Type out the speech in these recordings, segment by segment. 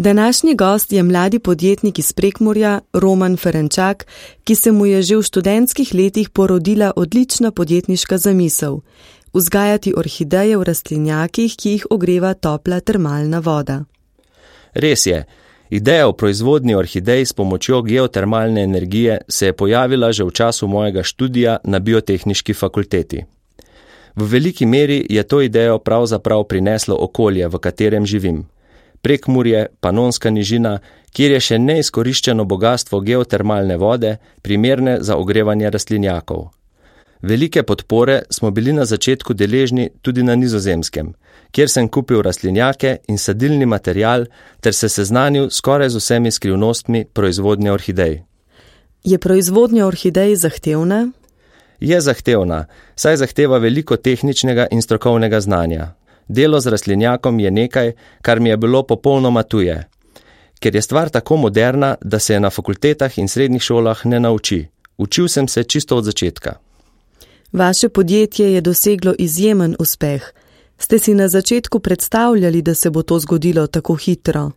Današnji gost je mladi podjetnik iz Prekmurja, Roman Ferenčak, ki se mu je že v študentskih letih porodila odlična podjetniška zamisel – vzgajati orhideje v rastlinjakih, ki jih ogreva topla termalna voda. Res je, ideja o proizvodnji orhidej s pomočjo geotermalne energije se je pojavila že v času mojega študija na biotehniški fakulteti. V veliki meri je to idejo pravzaprav prineslo okolje, v katerem živim. Prekmurje, Panonska nižina, kjer je še neizkoriščeno bogastvo geotermalne vode, primerne za ogrevanje rastlinjakov. Velike podpore smo bili na začetku deležni tudi na Nizozemskem, kjer sem kupil rastlinjake in sadilni material ter se seznanil skoraj z vsemi skrivnostmi proizvodnje orhidej. Je proizvodnja orhidej zahtevna? Je zahtevna, saj zahteva veliko tehničnega in strokovnega znanja. Delo z rastlinjakom je nekaj, kar mi je bilo popolnoma tuje. Ker je stvar tako moderna, da se je na fakultetah in srednjih šolah ne nauči. Učil sem se čisto od začetka. Vaše podjetje je doseglo izjemen uspeh. Ste si na začetku predstavljali, da se bo to zgodilo tako hitro?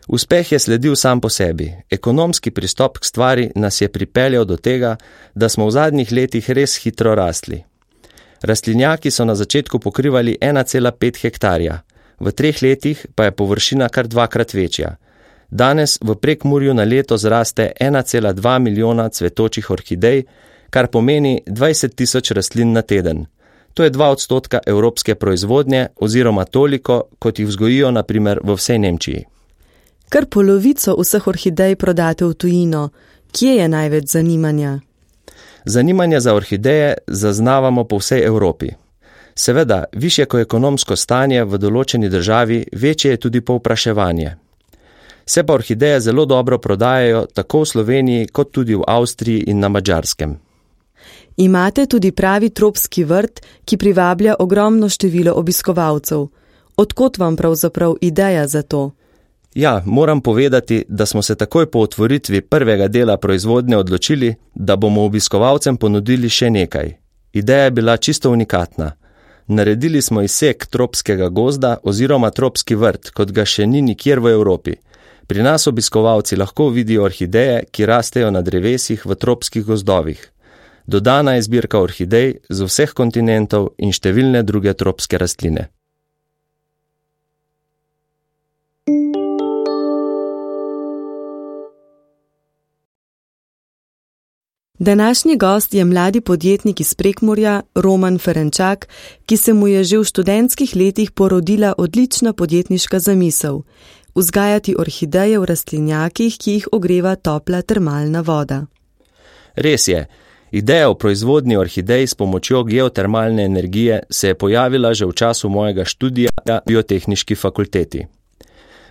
Uspeh je sledil sam po sebi. Ekonomski pristop k stvari nas je pripeljal do tega, da smo v zadnjih letih res hitro rastli. Rastlinjaki so na začetku pokrivali 1,5 hektarja, v 3 letih pa je površina kar 2-krat večja. Danes v Prekmurju na leto zraste 1,2 milijona cvetočih orhidej, kar pomeni 20.000 rastlin na teden. To je 2% evropske proizvodnje oziroma toliko, kot jih vzgojijo na primer v vsej Nemčiji. Kar polovico vseh orhidej prodate v tujino. Kje je največ zanimanja? Zanimanje za orhideje zaznavamo po vsej Evropi. Seveda, višje ko ekonomsko stanje v določeni državi, večje je tudi povpraševanje. Se pa orhideje zelo dobro prodajajo tako v Sloveniji kot tudi v Avstriji in na Madžarskem. Imate tudi pravi tropski vrt, ki privablja ogromno število obiskovalcev. Odkot vam pravzaprav ideja za to? Ja, moram povedati, da smo se takoj po otvoritvi prvega dela proizvodnje odločili, da bomo obiskovalcem ponudili še nekaj. Ideja je bila čisto unikatna. Naredili smo izsek tropskega gozda oziroma tropski vrt, kot ga še ni nikjer v Evropi. Pri nas obiskovalci lahko vidijo orhideje, ki rastejo na drevesih v tropskih gozdovih. Dodana je zbirka orhidej z vseh kontinentov in številne druge tropske rastline. Današnji gost je mladi podjetnik iz Prekmurja, Roman Ferenčak, ki se mu je že v študentskih letih porodila odlična podjetniška zamisel – vzgajati orhideje v rastlinjakih, ki jih ogreva topla termalna voda. Res je, ideja o proizvodnji orhidej s pomočjo geotermalne energije se je pojavila že v času mojega študija na biotehniški fakulteti.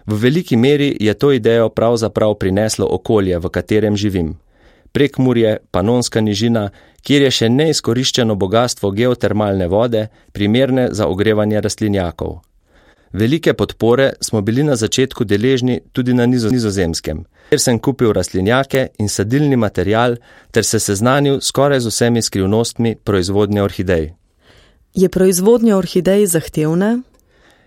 V veliki meri je to idejo pravzaprav prineslo okolje, v katerem živim. Prekmurje, Panonska nižina, kjer je še neizkoriščeno bogastvo geotermalne vode, primerne za ogrevanje rastlinjakov. Velike podpore smo bili na začetku deležni tudi na Nizozemskem, kjer sem kupil rastlinjake in sadilni material ter se seznanil skoraj z vsemi skrivnostmi proizvodnje orhidej. Je proizvodnja orhidej zahtevna?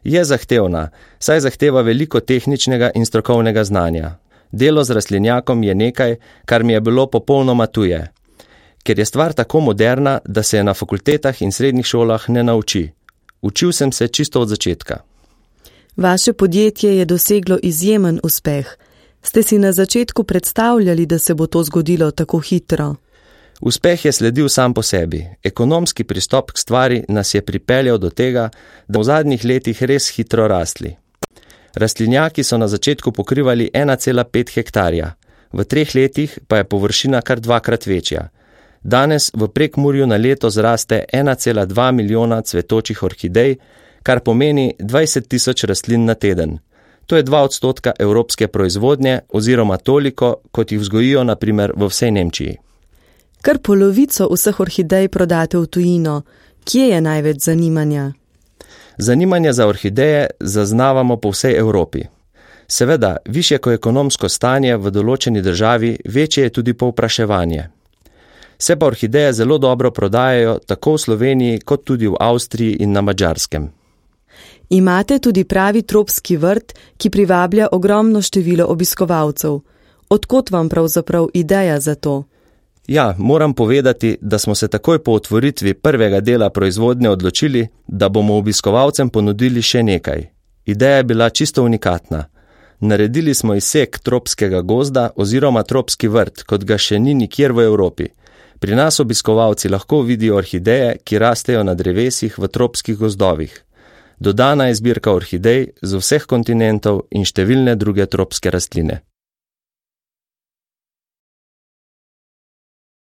Je zahtevna, saj zahteva veliko tehničnega in strokovnega znanja. Delo z rastlinjakom je nekaj, kar mi je bilo popolnoma tuje. Ker je stvar tako moderna, da se je na fakultetah in srednjih šolah ne nauči. Učil sem se čisto od začetka. Vaše podjetje je doseglo izjemen uspeh. Ste si na začetku predstavljali, da se bo to zgodilo tako hitro? Uspeh je sledil sam po sebi. Ekonomski pristop k stvari nas je pripeljal do tega, da v zadnjih letih res hitro rastli. Rastlinjaki so na začetku pokrivali 1,5 hektarja, v 3 letih pa je površina kar 2-krat večja. Danes v Prekmurju na leto zraste 1,2 milijona cvetočih orhidej, kar pomeni 20.000 rastlin na teden. To je 2% evropske proizvodnje oziroma toliko, kot jih vzgojijo na primer v vsej Nemčiji. Kar polovico vseh orhidej prodate v tujino. Kje je največ zanimanja? Zanimanje za orhideje zaznavamo po vsej Evropi. Seveda, višje ko ekonomsko stanje v določeni državi, večje je tudi povpraševanje. Se pa orhideje zelo dobro prodajajo tako v Sloveniji kot tudi v Avstriji in na Madžarskem. Imate tudi pravi tropski vrt, ki privablja ogromno število obiskovalcev. Odkot vam pravzaprav ideja za to? Ja, moram povedati, da smo se takoj po otvoritvi prvega dela proizvodnje odločili, da bomo obiskovalcem ponudili še nekaj. Ideja je bila čisto unikatna. Naredili smo izsek tropskega gozda oziroma tropski vrt, kot ga še ni nikjer v Evropi. Pri nas obiskovalci lahko vidijo orhideje, ki rastejo na drevesih v tropskih gozdovih. Dodana je zbirka orhidej z vseh kontinentov in številne druge tropske rastline.